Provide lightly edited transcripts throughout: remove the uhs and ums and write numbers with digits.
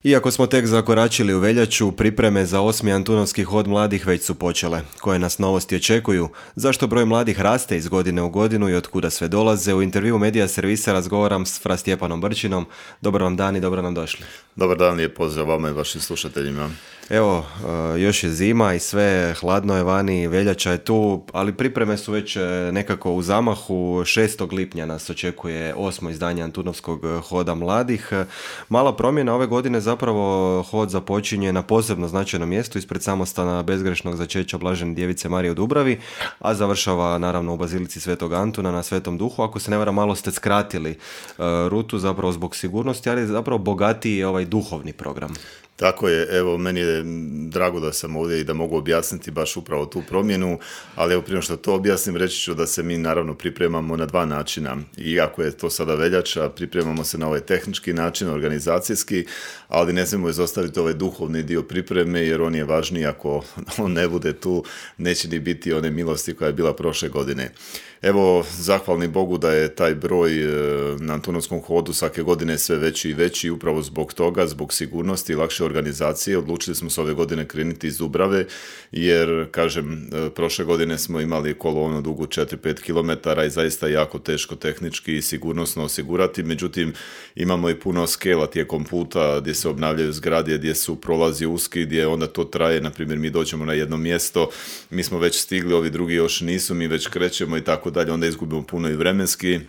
Iako smo tek zakoračili u veljaču, pripreme za 8. Antunovski hod mladih već su počele. Koje nas novosti očekuju? Zašto broj mladih raste iz godine u godinu i od kuda sve dolaze? U intervju Medija servisa razgovaram s Fra Stjepanom Brčinom. Dobar vam dan i dobro nam došli. Dobar dan, lijep pozdrav vama i vašim slušateljima. Evo, još je zima i sve, hladno je vani, veljača je tu, ali pripreme su već nekako u zamahu. 6. lipnja nas očekuje 8. izdanje Antunovskog hoda mladih. Mala promjena ove godine, zapravo hod započinje na posebno značajnom mjestu ispred samostana bezgrešnog začeća Blažene djevice Marije u Dubravi, a završava naravno u Bazilici Svetog Antuna na Svetom Duhu. Ako se ne varam, malo ste skratili rutu zapravo zbog sigurnosti, ali zapravo bogatiji je ovaj duhovni program. Tako je, evo, meni je drago da sam ovdje i da mogu objasniti baš upravo tu promjenu, ali evo, prije što to objasnim, reći ću da se mi naravno pripremamo na dva načina. Iako je to sada veljača, pripremamo se na ovaj tehnički način, organizacijski, ali ne smijemo izostaviti ovaj duhovni dio pripreme, jer on je važniji. Ako on ne bude tu, neće ni biti one milosti koja je bila prošle godine. Evo, zahvalni Bogu da je taj broj na Antunovskom hodu svake godine sve veći i veći, upravo zbog toga, zbog sigurnosti i lakše organizacije. Odlučili smo se ove godine krenuti iz Dubrave, jer, kažem, prošle godine smo imali kolonu dugu 4-5 km i zaista jako teško tehnički i sigurnosno osigurati. Međutim, imamo i puno skela tijekom puta gdje se obnavljaju zgrade, gdje su prolazi uski, gdje onda to traje. Na primjer, mi dođemo na jedno mjesto, mi smo već stigli, ovi drugi još nisu, mi već krećemo i tako dalje, onda izgubimo puno i vremenski,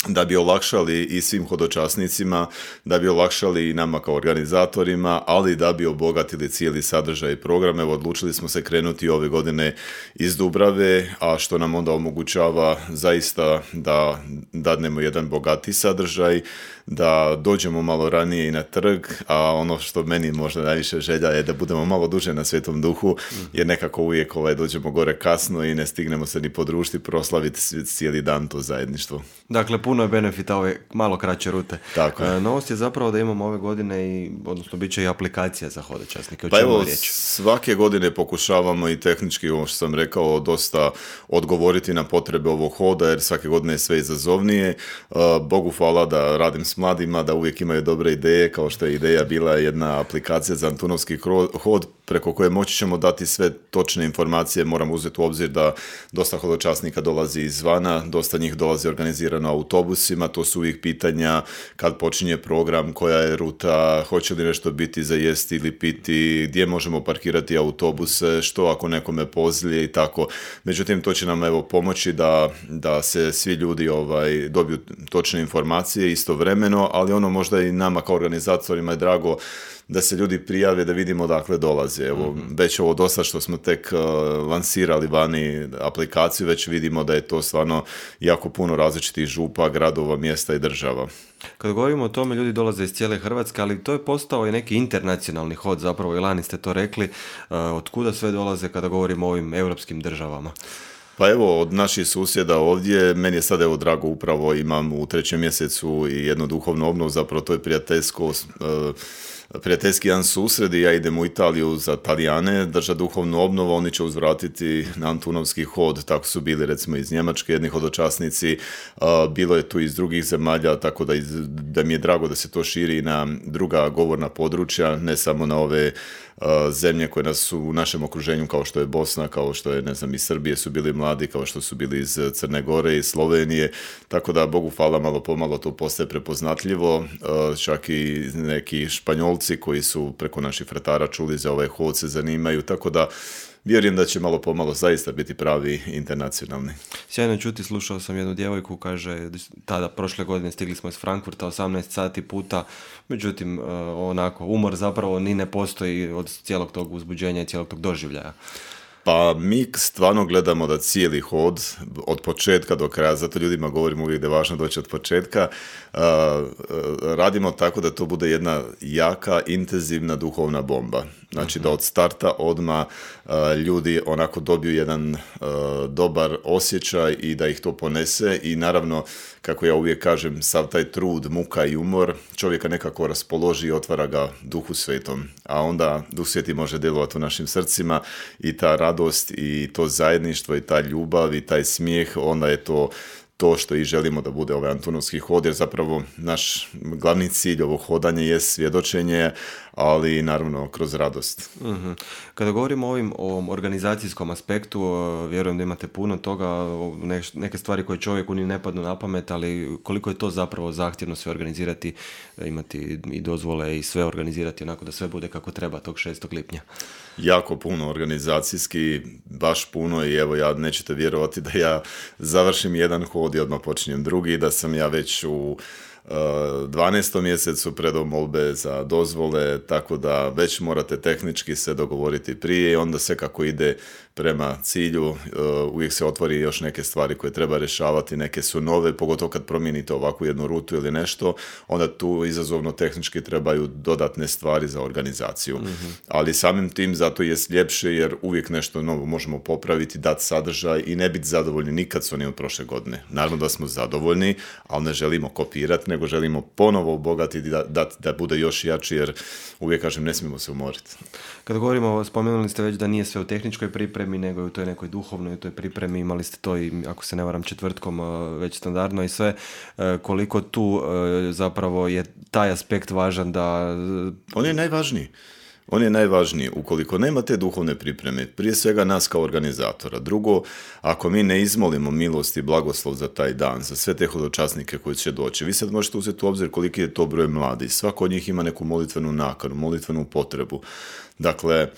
da bi olakšali i svim hodočasnicima, da bi olakšali i nama kao organizatorima, ali da bi obogatili cijeli sadržaj i program. Evo, odlučili smo se krenuti ove godine iz Dubrave, a što nam onda omogućava zaista da dadnemo jedan bogati sadržaj, da dođemo malo ranije i na trg, a ono što meni možda najviše želja je da budemo malo duže na Svetom Duhu, jer nekako uvijek dođemo gore kasno i ne stignemo se ni podružiti, proslaviti cijeli dan to zajedništvo. Dakle, puno je benefita ove malo kraće rute. Tako je. Novost je zapravo da imamo ove godine odnosno bit će i aplikacija za hodočasnike. Pa evo, svake godine pokušavamo i tehnički, ovo što sam rekao, dosta odgovoriti na potrebe ovog hoda, jer svake godine je sve izazovnije. Bogu hvala da radim s mladima, da uvijek imaju dobre ideje, kao što je ideja bila jedna aplikacija za Antunovski hod, preko koje moći ćemo dati sve točne informacije. Moram uzeti u obzir da dosta hodočasnika dolazi izvana, dosta njih dolazi organizirano autobusima, to su uvijek pitanja kad počinje program, koja je ruta, hoće li nešto biti za jesti ili piti, gdje možemo parkirati autobuse, što ako nekome pozlije i tako. Međutim, to će nam pomoći da se svi ljudi dobiju točne informacije istovremeno, ali ono možda i nama kao organizatorima je drago da se ljudi prijave, da vidimo odakle dolaze. Evo, već ovo dosta što smo tek lansirali vani aplikaciju, već vidimo da je to stvarno jako puno različitih župa, gradova, mjesta i država. Kad govorimo o tome, ljudi dolaze iz cijele Hrvatske, ali to je postao i neki internacionalni hod, zapravo i lani ste to rekli. Od kuda sve dolaze kada govorimo o ovim europskim državama? Pa evo, od naših susjeda ovdje, meni je sad drago, upravo imam u 3. mjesecu i jednu duhovnu obnovu, zapravo to je prijateljski jedan susred i ja idem u Italiju za Talijane, drža duhovnu obnovu, oni će uzvratiti na Antunovski hod, tako su bili recimo iz Njemačke jedni hodočasnici, bilo je tu iz drugih zemalja, tako da mi je drago da se to širi na druga govorna područja, ne samo na ove zemlje koje nas su u našem okruženju, kao što je Bosna, kao što je, iz Srbije su bili mladi, kao što su bili iz Crne Gore i Slovenije, tako da Bogu hvala, malo pomalo to postaje prepoznatljivo, čak i neki Španjolci koji su preko naših fratara čuli za ovaj hod se zanimaju, tako da vjerujem da će malo pomalo zaista biti pravi internacionalni. Sjajno čuti, slušao sam jednu djevojku, kaže, tada prošle godine stigli smo iz Frankfurta 18 sati puta, međutim, umor zapravo ni ne postoji od cijelog tog uzbuđenja i cijelog tog doživljaja. Pa mi stvarno gledamo da cijeli hod od početka do kraja, zato ljudima govorimo uvijek da je važno doći od početka, radimo tako da to bude jedna jaka, intenzivna duhovna bomba. Znači da od starta odmah ljudi onako dobiju jedan dobar osjećaj i da ih to ponese i naravno, kako ja uvijek kažem, sav taj trud, muka i umor čovjeka nekako raspoloži i otvara ga Duhu Svetom. A onda Duh Sveti može djelovati u našim srcima i ta radost i to zajedništvo i ta ljubav i taj smijeh, onda je to to što i želimo da bude ovaj Antunovski hod, jer zapravo naš glavni cilj ovog hodanja je svjedočenje, ali naravno kroz radost. Mm-hmm. Kada govorimo o ovom organizacijskom aspektu, vjerujem da imate puno toga, neke stvari koje čovjeku ni ne padnu na pamet, ali koliko je to zapravo zahtjevno sve organizirati, imati i dozvole i sve organizirati onako da sve bude kako treba tog 6. lipnja. Jako puno organizacijski, baš puno, i evo ja nećete vjerovati da ja završim jedan hod i odmah počinjem drugi, da sam ja već u 12. mjesecu predao molbe za dozvole, tako da već morate tehnički se dogovoriti prije i onda sve kako ide prema cilju, uvijek se otvori još neke stvari koje treba rješavati, neke su nove, pogotovo kad promijenite ovakvu jednu rutu ili nešto, onda tu izazovno tehnički trebaju dodatne stvari za organizaciju. Mm-hmm. Ali samim tim zato je ljepše jer uvijek nešto novo možemo popraviti, dati sadržaj i ne biti zadovoljni nikad s onim od prošle godine. Naravno da smo zadovoljni, ali ne želimo kopirati, nego želimo ponovo obogatiti da bude još jači, jer uvijek kažem ne smijemo se umoriti. Kad govorimo, spomenuli ste već da nije sve u tehničkoj pripremi, nego i u toj nekoj duhovnoj, u toj pripremi, imali ste to i, ako se ne varam, četvrtkom već standardno i sve, koliko tu zapravo je taj aspekt važan da... On je najvažniji. On je najvažniji. Ukoliko nema te duhovne pripreme, prije svega nas kao organizatora. Drugo, ako mi ne izmolimo milost i blagoslov za taj dan, za sve te hodočasnike koji će doći, vi sad možete uzeti u obzir koliki je to broj mladi. Svako od njih ima neku molitvenu nakanu, molitvenu potrebu. Dakle,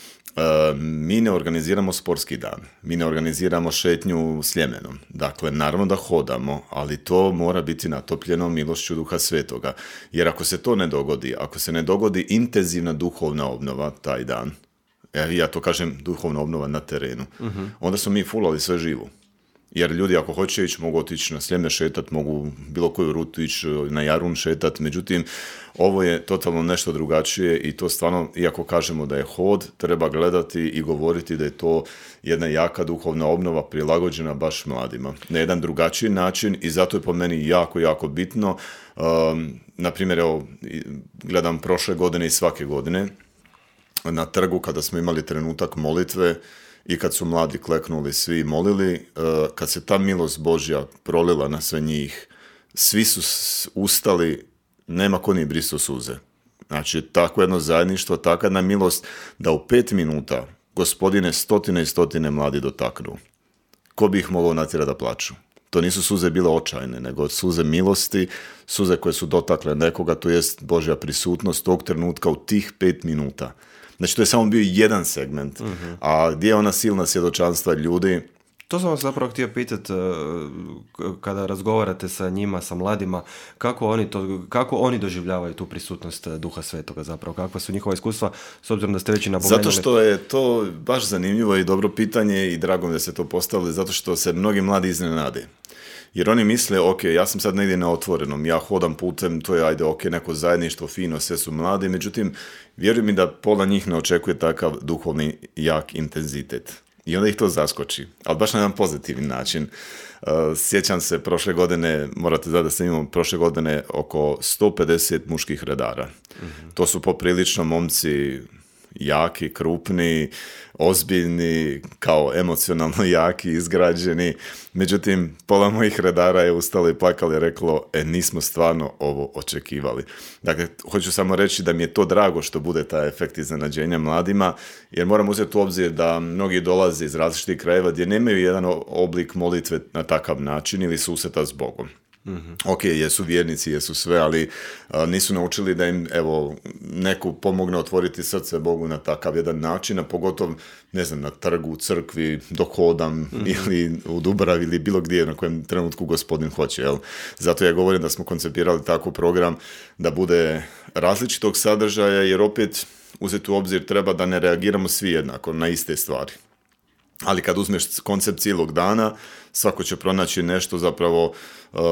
mi ne organiziramo sportski dan, mi ne organiziramo šetnju Sljemenom. Dakle, naravno da hodamo, ali to mora biti natopljeno milošću Duha Svetoga. Jer ako se to ne dogodi, ako se ne dogodi intenzivna duhovna obnova taj dan, ja to kažem duhovna obnova na terenu, onda smo mi fulali sve živo. Jer ljudi ako hoće ići, mogu otići na Sljeme šetat, mogu bilo koju rutu ići na Jarun šetat, međutim, ovo je totalno nešto drugačije i to stvarno, iako kažemo da je hod, treba gledati i govoriti da je to jedna jaka duhovna obnova prilagođena baš mladima. Na jedan drugačiji način i zato je po meni jako, jako bitno. Naprimjer, evo, gledam prošle godine i svake godine na trgu kada smo imali trenutak molitve, i kad su mladi kleknuli, svi molili, kad se ta milost Božja prolila na sve njih, svi su ustali, nema ko ni brisao suze. Znači, tako jedno zajedništvo, takva jedna milost, da u 5 minuta Gospodine stotine i stotine mladi dotaknu. Ko bi ih mogao natjerati da plaču? To nisu suze bile očajne, nego suze milosti, suze koje su dotakle nekoga, to jest Božja prisutnost tog trenutka u tih 5 minuta. Znači, to je samo bio jedan segment. A gdje je ona silna svjedočanstva ljudi? To sam vas zapravo htio pitati, kada razgovarate sa njima, sa mladima, kako oni doživljavaju tu prisutnost Duha Svetoga zapravo? Kakva su njihova iskustva, s obzirom da ste već i napomenuli? Zato što je to baš zanimljivo i dobro pitanje i drago mi da se to postavili, zato što se mnogi mladi iznenade. Jer oni misle, ok, ja sam sad negdje na otvorenom, ja hodam putem, to je, ajde, ok, neko zajedništvo, fino, sve su mladi, međutim, vjeruj mi da pola njih ne očekuje takav duhovni jak intenzitet. I onda ih to zaskoči, ali baš na jedan pozitivni način. Sjećam se prošle godine, morate znati da sam imao prošle godine oko 150 muških redara. To su poprilično momci jaki, krupni, ozbiljni, kao emocionalno jaki, izgrađeni. Međutim, pola mojih redara je ustalo i plakalo i reklo, nismo stvarno ovo očekivali. Dakle, hoću samo reći da mi je to drago što bude taj efekt iznenađenja mladima, jer moram uzeti u obzir da mnogi dolaze iz različitih krajeva gdje nemaju jedan oblik molitve na takav način ili susreta s Bogom. Ok, jesu vjernici, jesu sve, ali nisu naučili da im, evo, neko pomogne otvoriti srce Bogu na takav jedan način, a pogotovo, ne znam, na trgu, u crkvi, dok hodam ili u Dubravi ili bilo gdje na kojem trenutku Gospodin hoće, jel? Zato ja govorim da smo koncipirali takav program da bude različitog sadržaja, jer opet uzeti u obzir treba da ne reagiramo svi jednako na iste stvari. Ali kad uzmeš koncept cijelog dana, svako će pronaći nešto, zapravo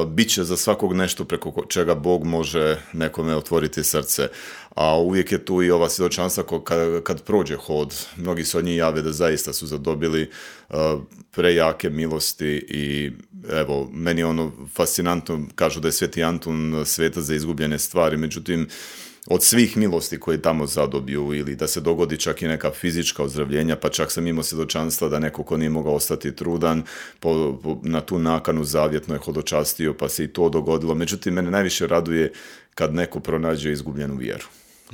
bit će za svakog nešto preko čega Bog može nekome otvoriti srce. A uvijek je tu i ova svjedočanstva kad prođe hod. Mnogi se od njih jave da zaista su zadobili prejake milosti i evo, meni je ono fascinantno, kažu da je Sveti Antun svetac za izgubljene stvari, međutim, od svih milosti koje tamo zadobiju ili da se dogodi čak i neka fizička ozdravljenja, pa čak sam imao svjedočanstva da neko ko nije mogao ostati trudan na tu nakanu zavjetno je hodočastio pa se i to dogodilo. Međutim, mene najviše raduje kad neko pronađe izgubljenu vjeru.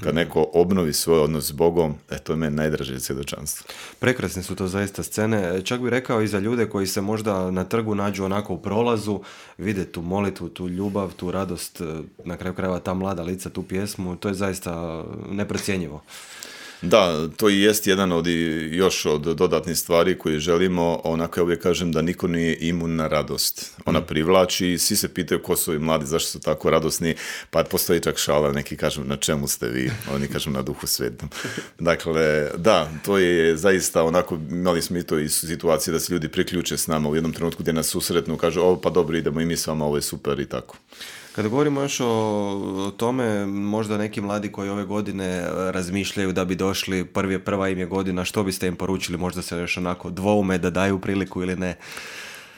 Kad neko obnovi svoj odnos s Bogom, to je meni najdraže svjedočanstvo. Prekrasne su to zaista scene. Čak bih rekao i za ljude koji se možda na trgu nađu onako u prolazu, vide tu molitvu, tu ljubav, tu radost, na kraju krajeva ta mlada lica, tu pjesmu, to je zaista neprocjenjivo. Da, to i jest jedan još od dodatnih stvari koje želimo, onako ja uvijek kažem da niko nije imun na radost. Ona privlači, svi se pitaju ko su ovi mladi, zašto su tako radosni, pa postoji čak šala, neki kažu na čemu ste vi, oni kažu na Duhu Svetom. Dakle, da, to je zaista onako, imali smo i to i situacije da se ljudi priključe s nama u jednom trenutku gdje nas susretnu, kažu, pa dobro, idemo i mi s vama, ovo je super i tako. Kada govorimo još o tome, možda neki mladi koji ove godine razmišljaju da bi došli, prva im je godina, što biste im poručili, možda se još onako dvoume da daju priliku ili ne?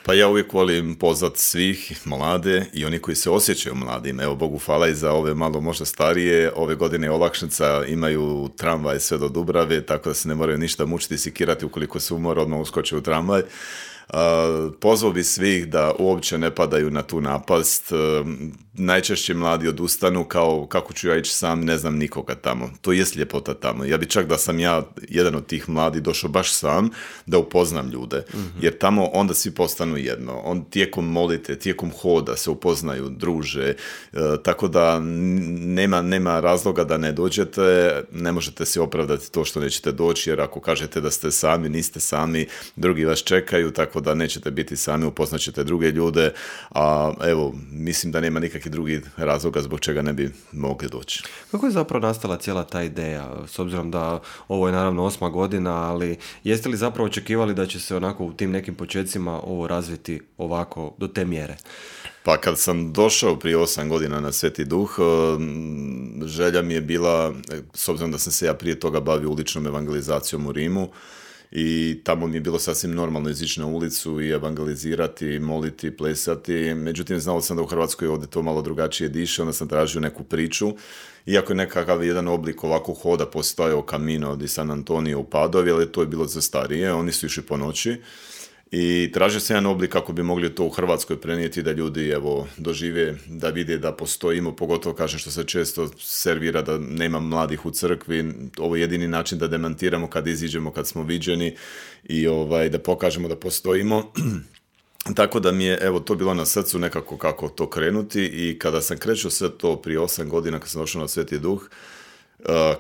Pa ja uvijek volim pozvat svih mlade i oni koji se osjećaju mladim. Evo, Bogu hvala i za ove malo možda starije. Ove godine je olakšica, imaju tramvaj sve do Dubrave, tako da se ne moraju ništa mučiti i sikirati ukoliko se umore, odmah uskoče u tramvaj. Pozvao bi svih da uopće ne padaju na tu napast. Najčešće mladi odustanu kao kako ću ja ići sam, ne znam nikoga tamo. To jest ljepota tamo. Ja bi čak da sam ja jedan od tih mladi došao baš sam da upoznam ljude. Jer tamo onda svi postanu jedno. Tijekom molite, tijekom hoda se upoznaju, druže. Tako da nema razloga da ne dođete. Ne možete si opravdati to što nećete doći, jer ako kažete da ste sami, niste sami, drugi vas čekaju, tako da nećete biti sami, upoznat ćete druge ljude, a evo, mislim da nema nikakvih drugih razloga zbog čega ne bi mogli doći. Kako je zapravo nastala cijela ta ideja, s obzirom da ovo je naravno 8. godina, ali jeste li zapravo očekivali da će se onako u tim nekim počecima ovo razviti ovako do te mjere? Pa kad sam došao prije 8 godina na Sveti Duh, želja mi je bila, s obzirom da sam se ja prije toga bavio uličnom evangelizacijom u Rimu, i tamo mi je bilo sasvim normalno izići na ulicu i evangelizirati, moliti, plesati. Međutim, znao sam da u Hrvatskoj ovdje to malo drugačije diše, onda sam tražio neku priču. Iako je nekakav jedan oblik ovako hoda postojao Camino di San Antonio u Padovi, ali to je bilo za starije, oni su išli po noći. I tražio se jedan oblik kako bi mogli to u Hrvatskoj prenijeti da ljudi evo dožive, da vide da postojimo, pogotovo kažem što se često servira da nema mladih u crkvi. Ovo je jedini način da demantiramo kad iziđemo, kad smo viđeni i da pokažemo da postojimo. Tako da mi je evo to bilo na srcu nekako kako to krenuti i kada sam krećao sve to prije 8 godina kad sam došao na Sveti Duh,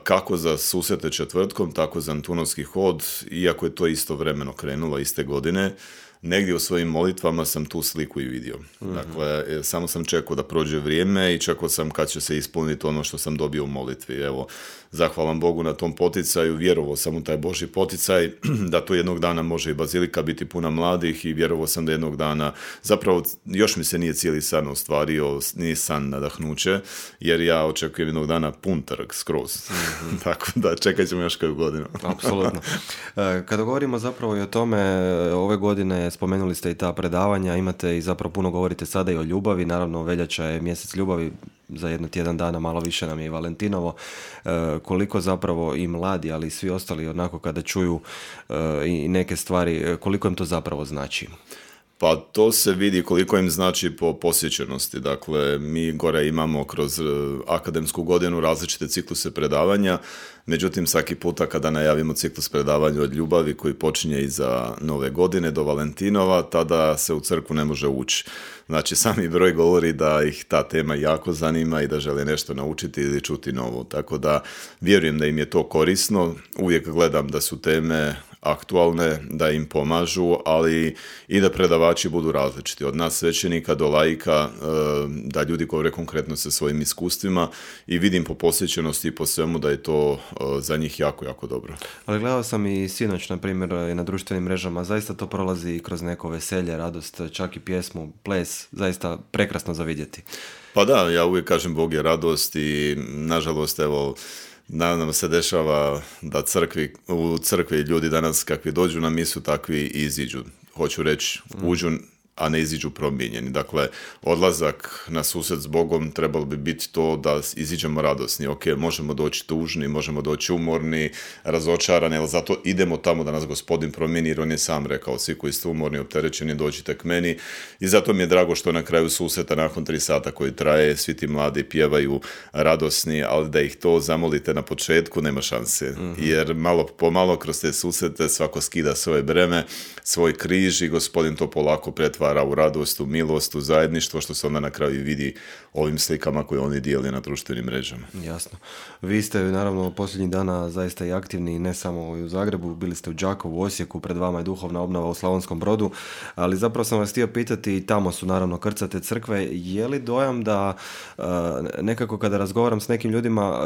kako za susrete četvrtkom, tako za Antunovski hod, iako je to istovremeno krenulo iste godine, negdje u svojim molitvama sam tu sliku i vidio. Dakle, samo sam čekao da prođe vrijeme i čekao sam kad će se ispuniti ono što sam dobio u molitvi. Evo, zahvalan Bogu na tom poticaju, vjerovao sam u taj Božji poticaj, da to jednog dana može i bazilika biti puna mladih i vjerovao sam da jednog dana, zapravo još mi se nije cijeli san ostvario, nije san nadahnuće, jer ja očekujem jednog dana pun trg skroz. Tako da čekat ćemo još koju godinu. Apsolutno. Kada govorimo zapravo i o tome, ove godine spomenuli ste i ta predavanja, imate i zapravo puno govorite sada i o ljubavi, naravno veljača je mjesec ljubavi, za jedno tjedan dana, malo više nam je i Valentinovo, koliko zapravo i mladi, ali i svi ostali onako kada čuju i neke stvari, koliko im to zapravo znači? Pa to se vidi koliko im znači po posjećenosti. Dakle, mi gore imamo kroz akademsku godinu različite cikluse predavanja, međutim svaki puta kada najavimo ciklus predavanja od ljubavi koji počinje iza Nove godine do Valentinova, tada se u crkvu ne može ući. Znači, sami broj govori da ih ta tema jako zanima i da žele nešto naučiti ili čuti novo. Tako da vjerujem da im je to korisno. Uvijek gledam da su teme aktualne, da im pomažu, ali i da predavači budu različiti. Od nas svećenika do laika, da ljudi govore konkretno sa svojim iskustvima i vidim po posjećenosti i po svemu da je to za njih jako, jako dobro. Ali gledao sam i sinoć, na primjer, na društvenim mrežama, zaista to prolazi kroz neko veselje, radost, čak i pjesmu, ples, zaista prekrasno za vidjeti. Pa da, ja uvijek kažem Bog je radost i nažalost, evo, nam se dešava da u crkvi ljudi danas kakvi dođu na misu, takvi iziđu. Hoću reći, uđu a ne iziđu promijenjeni. Dakle, odlazak na susret s Bogom trebalo bi biti to da iziđemo radosni. Ok, možemo doći tužni, možemo doći umorni, razočarani, ali zato idemo tamo da nas Gospodin promijeni, jer on je sam rekao, svi koji ste umorni, opterećeni, dođite k meni. I zato mi je drago što na kraju susreta, nakon 3 sata koji traje, svi ti mladi pjevaju radosni, ali da ih to zamolite na početku, nema šanse. Jer malo po malo kroz te susrete svako skida svoje breme, svoj križ i Gospodin to polako pretvara u radost, u milost, u zajedništvo, što se onda na kraju vidi ovim slikama koje oni dijeli na društvenim mrežama. Jasno. Vi ste naravno posljednjih dana zaista i aktivni, ne samo u Zagrebu, bili ste u Đakovu, u Osijeku, pred vama je duhovna obnova u Slavonskom Brodu, ali zapravo sam vas htio pitati, i tamo su naravno krcate crkve, je li dojam da nekako kada razgovaram s nekim ljudima,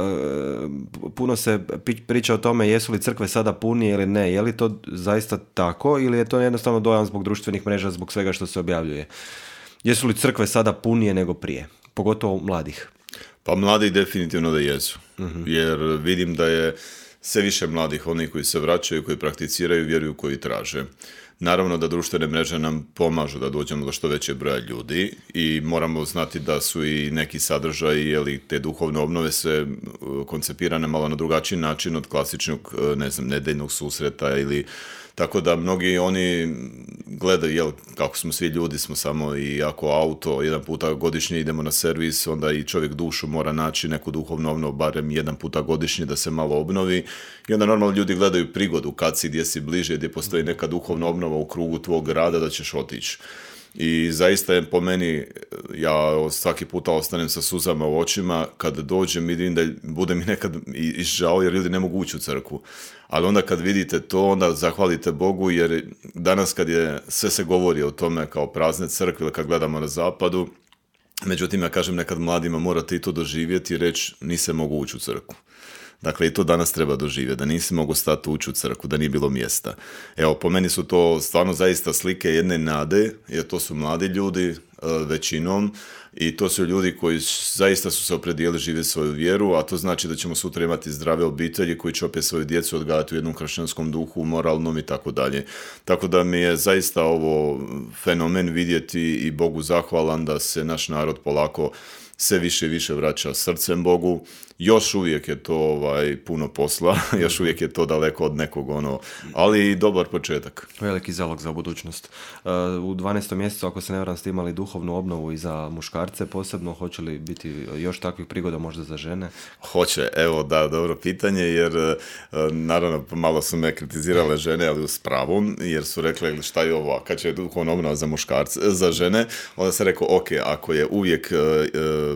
puno se priča o tome jesu li crkve sada punije ili ne, je li to zaista tako ili je to jednostavno dojam zbog društvenih mreža, zbog svega što se objavljuje? Jesu li crkve sada punije nego prije? Pogotovo mladih. Pa mladih definitivno da jesu. Jer vidim da je sve više mladih, oni koji se vraćaju, koji prakticiraju, vjeruju, koji traže. Naravno da društvene mreže nam pomažu da dođemo do što većeg broja ljudi i moramo znati da su i neki sadržaji, jeli, te duhovne obnove se koncipirane malo na drugačiji način od klasičnog, nedeljnog susreta ili tako da mnogi oni gledaju, kako smo svi ljudi, smo samo i ako auto, jedan puta godišnje idemo na servis, onda i čovjek dušu mora naći neku duhovnu obnovu, barem jedan puta godišnje da se malo obnovi. I onda normalno ljudi gledaju prigodu kad si, gdje si bliže, gdje postoji neka duhovna obnova u krugu tvog grada da ćeš otići. I zaista je po meni, ja svaki puta ostanem sa suzama u očima, kad dođem vidim da bude mi nekad i žao jer ljudi ne mogu ući u crkvu. Ali onda kad vidite to, onda zahvalite Bogu jer danas kad je sve se govori o tome kao prazne crkve ili kad gledamo na zapadu, međutim ja kažem nekad mladima morate i to doživjeti i reći nisam mogu ući u crkvu. Dakle, i to danas treba doživjeti, da nisi mogu stati ući u crkvu, da nije bilo mjesta. Evo, po meni su to stvarno zaista slike jedne nade, jer to su mladi ljudi većinom i to su ljudi koji zaista su se opredijelili živjeti svoju vjeru, a to znači da ćemo sutra imati zdrave obitelji koji će opet svoju djecu odgajati u jednom kršćanskom duhu, moralnom i tako dalje. Tako da mi je zaista ovo fenomen vidjeti i Bogu zahvalan da se naš narod polako sve više i više vraća srcem Bogu. Još uvijek je to puno posla, još uvijek je to daleko od nekog ali i dobar početak. Veliki zalog za budućnost. U 12. mjesecu, ako se ne varam, ste imali duhovnu obnovu i za muškarce posebno. Hoće li biti još takvih prigoda možda za žene? Hoće, evo da, dobro pitanje, jer naravno malo su me kritizirale žene, ali s pravom, jer su rekli šta je ovo, kad će duhovna obnova za muškarce, za žene, onda se rekao, ok, ako je uvijek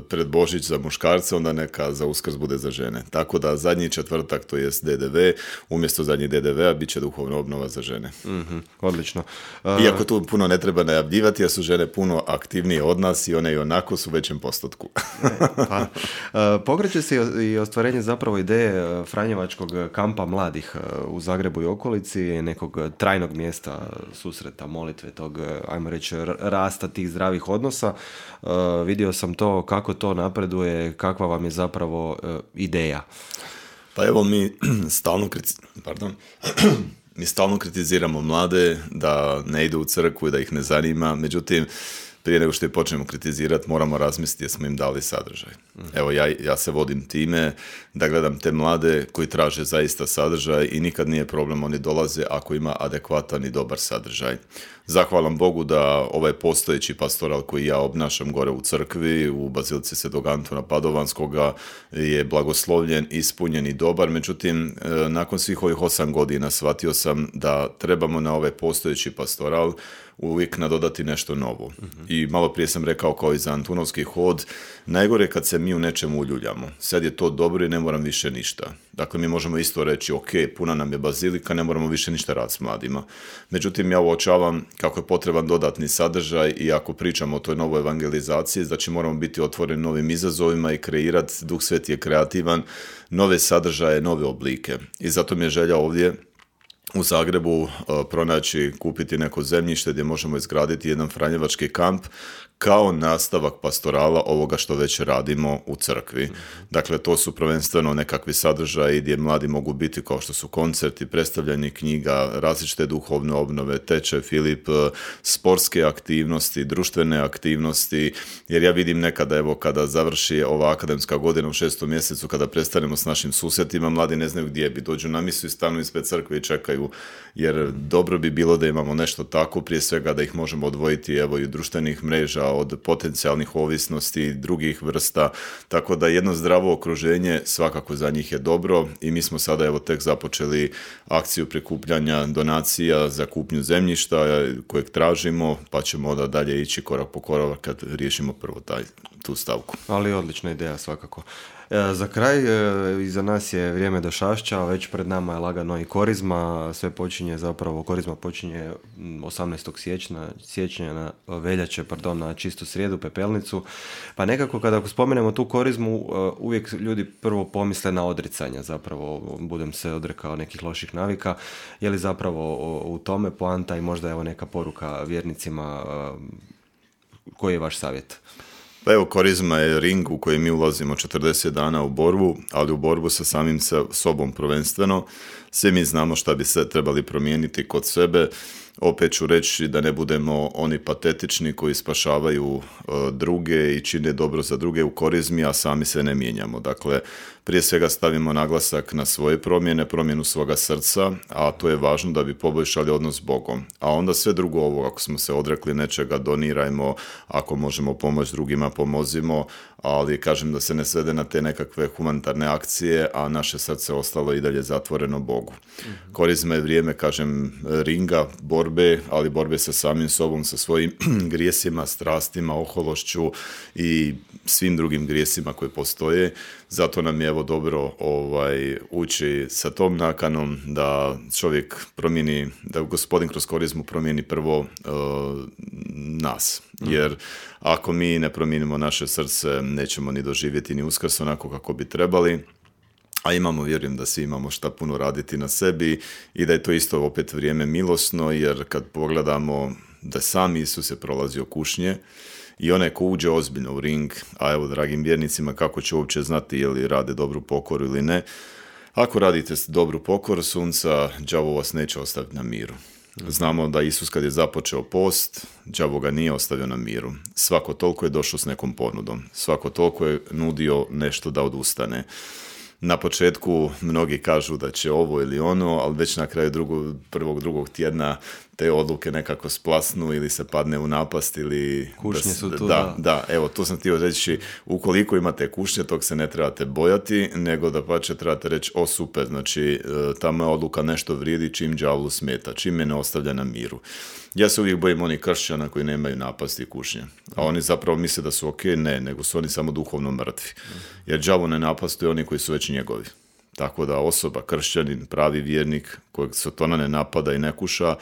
pred Božić za muškarce, onda neka za Uskrs bude za žene. Tako da zadnji četvrtak, to jest DDV, umjesto zadnjih DDV-a bit će duhovna obnova za žene. Odlično. Iako tu puno ne treba najavljivati, jer su žene puno aktivnije od nas i one i onako su u većem postotku. Pokreće se i ostvarenje zapravo ideje Franjevačkog kampa mladih u Zagrebu i okolici, nekog trajnog mjesta susreta, molitve, tog, ajmo reći, rasta tih zdravih odnosa. Vidio sam to, kako to napreduje, kakva vam je zapravo ideja. Pa evo mi stalno kritiziramo mlade da ne idu u crkvu i da ih ne zanima, međutim prije nego što je počnemo kritizirati moramo razmisliti jer smo im dali sadržaj. Evo ja se vodim time da gledam te mlade koji traže zaista sadržaj i nikad nije problem, oni dolaze ako ima adekvatan i dobar sadržaj. Zahvalam Bogu da ovaj postojeći pastoral koji ja obnašam gore u crkvi, u Bazilici Svetog Antuna Padovanskoga, je blagoslovljen, ispunjen i dobar, međutim nakon svih ovih 8 godina shvatio sam da trebamo na ovaj postojeći pastoral uvijek nadodati nešto novo. I malo prije sam rekao kao i za Antunovski hod, najgore je kad se mi u nečemu uljuljamo. Sad je to dobro i ne moram više ništa. Dakle, mi možemo isto reći, ok, puna nam je bazilika, ne moramo više ništa raditi s mladima. Međutim, ja uočavam kako je potreban dodatni sadržaj i ako pričamo o toj novoj evangelizaciji, znači moramo biti otvoreni novim izazovima i kreirati, Duh Sveti je kreativan, nove sadržaje, nove oblike. I zato mi je želja ovdje u Zagrebu pronaći, kupiti neko zemljište gdje možemo izgraditi jedan franjevački kamp kao nastavak pastorala ovoga što već radimo u crkvi. Dakle, to su prvenstveno nekakvi sadržaji gdje mladi mogu biti kao što su koncerti, predstavljanje knjiga, različite duhovne obnove, tečaj Filip, sportske aktivnosti, društvene aktivnosti, jer ja vidim nekada, evo, kada završi ova akademska godina u 6. mjesecu, kada prestanemo s našim susjetima, mladi ne znaju gdje bi, dođu na misu i stanu ispred crkve i čekaju, jer dobro bi bilo da imamo nešto tako, prije svega da ih možemo odvojiti, evo, i društvenih mreža, od potencijalnih ovisnosti i drugih vrsta, tako da jedno zdravo okruženje svakako za njih je dobro i mi smo sada, evo, tek započeli akciju prikupljanja donacija za kupnju zemljišta kojeg tražimo, pa ćemo onda dalje ići korak po korak kad riješimo prvo tu stavku. Ali odlična ideja svakako. Za kraj, iza nas je vrijeme Došašća, već pred nama je lagano i Korizma, Korizma počinje 18. siječnja na veljače, na čistu srijedu, Pepelnicu, pa nekako kada spomenemo tu Korizmu, uvijek ljudi prvo pomisle na odricanja, zapravo budem se odrekao nekih loših navika, je li zapravo u tome poanta i možda evo neka poruka vjernicima, koji je vaš savjet? Pa evo, Korizma je ring u koji mi ulazimo 40 dana u borbu, ali u borbu sa samim sobom prvenstveno. Svi mi znamo šta bi se trebali promijeniti kod sebe. Opet ću reći da ne budemo oni patetični koji spašavaju druge i čine dobro za druge u Korizmi, a sami se ne mijenjamo. Dakle, prije svega stavimo naglasak na svoje promjenu svoga srca, a to je važno da bi poboljšali odnos s Bogom. A onda sve drugo ovo, ako smo se odrekli nečega, donirajmo, ako možemo pomoći drugima, pomozimo, ali kažem da se ne svede na te nekakve humanitarne akcije, a naše srce ostalo i dalje zatvoreno Bogu. Korizma je vrijeme, kažem, ringa, borbe, ali borbe sa samim sobom, sa svojim grijesima, strastima, ohološću i svim drugim grijesima koji postoje. Zato nam je evo dobro ući sa tom nakanom da čovjek promijeni, da Gospodin kroz Korizmu promijeni prvo nas. Jer ako mi ne promijenimo naše srce, nećemo ni doživjeti ni Uskrs onako kako bi trebali. A vjerujem da svi imamo šta puno raditi na sebi i da je to isto opet vrijeme milosno, jer kad pogledamo da sam Isus je prolazio kušnje i onaj ko uđe ozbiljno u ring, a evo dragim vjernicima kako će uopće znati je li rade dobru pokoru ili ne, ako radite dobru pokoru sunca, đavo vas neće ostaviti na miru. Znamo da Isus kad je započeo post, đavo ga nije ostavio na miru. Svako toliko je došao s nekom ponudom, svako toliko je nudio nešto da odustane. Na početku mnogi kažu da će ovo ili ono, ali već na kraju drugog tjedna te odluke nekako splasnu ili se padne u napast ili... Kušnje su tu, da. Evo, to sam htio reći, ukoliko imate kušnje, tog se ne trebate bojati, nego da pače trebate reći, o super, znači ta moja odluka nešto vrijedi čim đavlu smeta, čim me ne ostavlja na miru. Ja se uvijek bojim onih kršćana koji nemaju napasti i kušnje, a oni zapravo misle da su ok, ne, nego su oni samo duhovno mrtvi, jer đavo ne napastuje oni koji su već njegovi. Tako da osoba, kršćanin, pravi vjernik, kojeg Satana ne napada i ne kuša,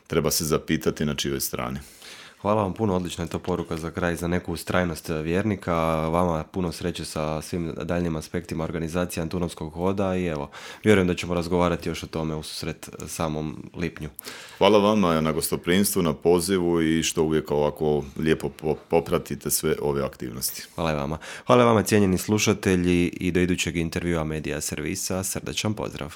treba se zapitati na čijoj strani. Hvala vam puno, odlična je to poruka za kraj, za neku ustrajnost vjernika. Vama puno sreće sa svim daljnjim aspektima organizacije Antunovskog hoda i evo, vjerujem da ćemo razgovarati još o tome ususret samom lipnju. Hvala vama na gostoprimstvu, na pozivu i što uvijek ovako lijepo popratite sve ove aktivnosti. Hvala vama. Hvala vama cijenjeni slušatelji i do idućeg intervjua Medija Servisa. Srdačan pozdrav.